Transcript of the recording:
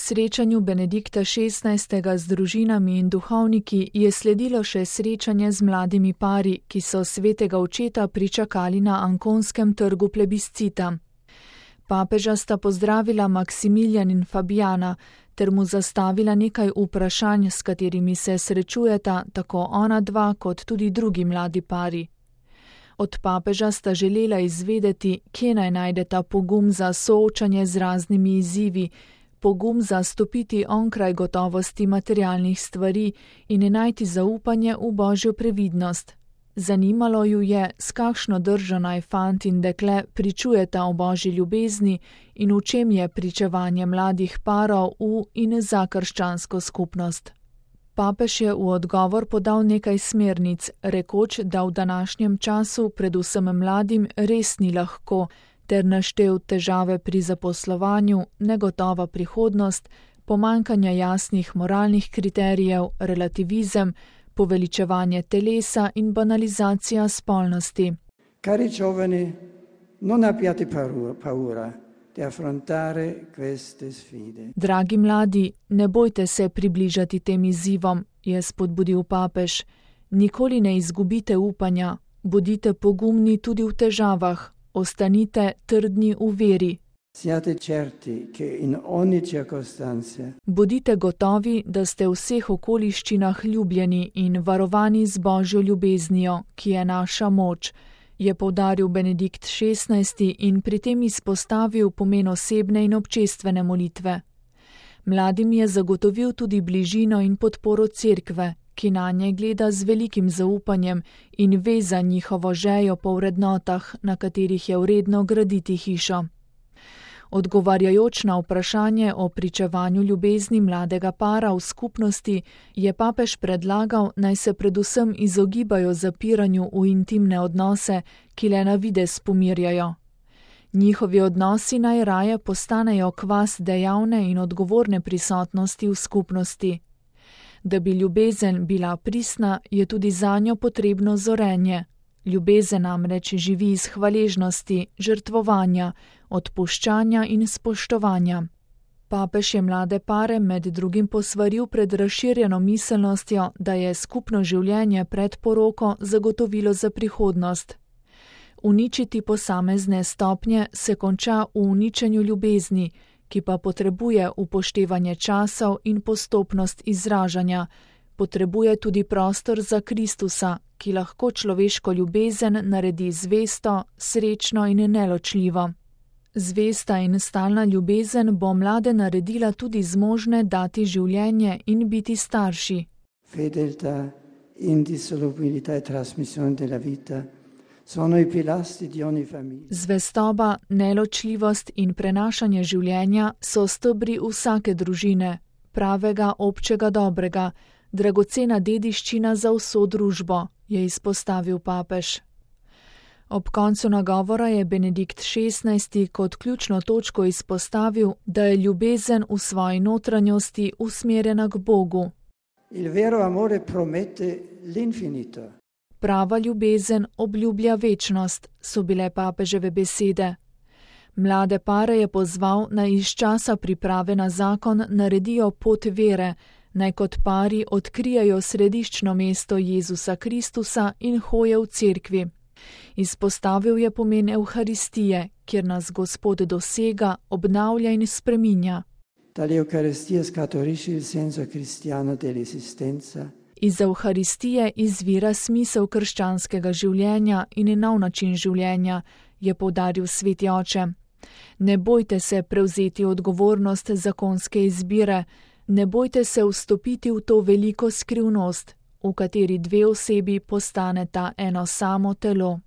Srečanju Benedikta XVI. Z družinami in duhovniki je sledilo še srečanje z mladimi pari, ki so svetega očeta pričakali na Anconskem trgu plebiscita. Papeža sta pozdravila Maksimilijan in Fabijana ter mu zastavila nekaj vprašanj, s katerimi se srečujeta tako ona dva kot tudi drugi mladi pari. Od papeža sta želela izvedeti, kje naj najdeta pogum za soočanje z raznimi izzivi, pogum za stopiti onkraj gotovosti materialnih stvari in najti zaupanje v Božjo previdnost. Zanimalo ju je, s kakšno držo naj fant in dekle pričujeta o Božji ljubezni in v čem je pričevanje mladih parov v in za krščansko skupnost. Papež je v odgovor podal nekaj smernic, rekoč, da v današnjem času predvsem mladim res ni lahko, ter naštel težave pri zaposlovanju, negotova prihodnost, pomanjkanje jasnih moralnih kriterijev, relativizem, poveličevanje telesa in banalizacija spolnosti. Cari giovani, non abbiate paura di affrontare queste sfide. Dragi mladi, ne bojte se približati tem izzivom, je spodbudil papež. Nikoli ne izgubite upanja, bodite pogumni tudi v težavah, ostanite trdni v veri. Siate certi che in ogni circostanza. Bodite gotovi, da ste v vseh okoliščinah ljubljeni in varovani z Božjo ljubeznijo, ki je naša moč, je poudaril Benedikt XVI. In pri tem izpostavil pomen osebne in občestvene molitve. Mladim je zagotovil tudi bližino in podporo cerkve, ki nanje gleda z velikim zaupanjem in ve za njihovo žejo po vrednotah, na katerih je vredno graditi hišo. Odgovarjajoč na vprašanje o pričevanju ljubezni mladega para v skupnosti, je papež predlagal, naj se predvsem izogibajo zapiranju v intimne odnose, ki le na videz pomirjajo. Njihovi odnosi naj raje postanejo kvas dejavne in odgovorne prisotnosti v skupnosti. Da bi ljubezen bila pristna, je tudi zanjo potrebno zorenje. Ljubezen namreč živi iz hvaležnosti, žrtvovanja, odpuščanja in spoštovanja. Papež je mlade pare med drugim posvaril pred razširjeno miselnostjo, da je skupno življenje pred poroko zagotovilo za prihodnost. Uničiti posamezne stopnje se konča v uničenju ljubezni, ki pa potrebuje upoštevanje časov in postopnost izražanja, potrebuje tudi prostor za Kristusa, ki lahko človeško ljubezen naredi zvesto, srečno in neločljivo. Zvesta in stalna ljubezen bo mlade naredila tudi zmožne dati življenje in biti starši. Fedeltà, indissolubilità e trasmissione della vita sono i pilastri di ogni famiglia. Zvestoba, neločljivost in prenašanje življenja so stebri vsake družine, pravega občega dobrega, dragocena dediščina za vso družbo, je izpostavil papež. Ob koncu nagovora je Benedikt XVI. Kot ključno točko izpostavil, da je ljubezen v svoji notranjosti usmerjena k Bogu. Il vero amore promette l'infinito. Prava ljubezen obljublja večnost, so bile papeževe besede. Mlade pare je pozval, naj iz časa priprave na zakon naredijo pot vere, naj kot pari odkrijajo središčno mesto Jezusa Kristusa in hoje v cerkvi. Izpostavil je pomen Evharistije, kjer nas Gospod dosega, obnavlja in spreminja. Tale Eucaristia scaturisce il senso cristiano dell'esistenza. Iz Evharistije izvira smisel krščanskega življenja in nov način življenja, je poudaril sveti oče. Ne bojte se prevzeti odgovornost zakonske izbire, ne bojte se vstopiti v to veliko skrivnost, v kateri dve osebi postaneta eno samo telo.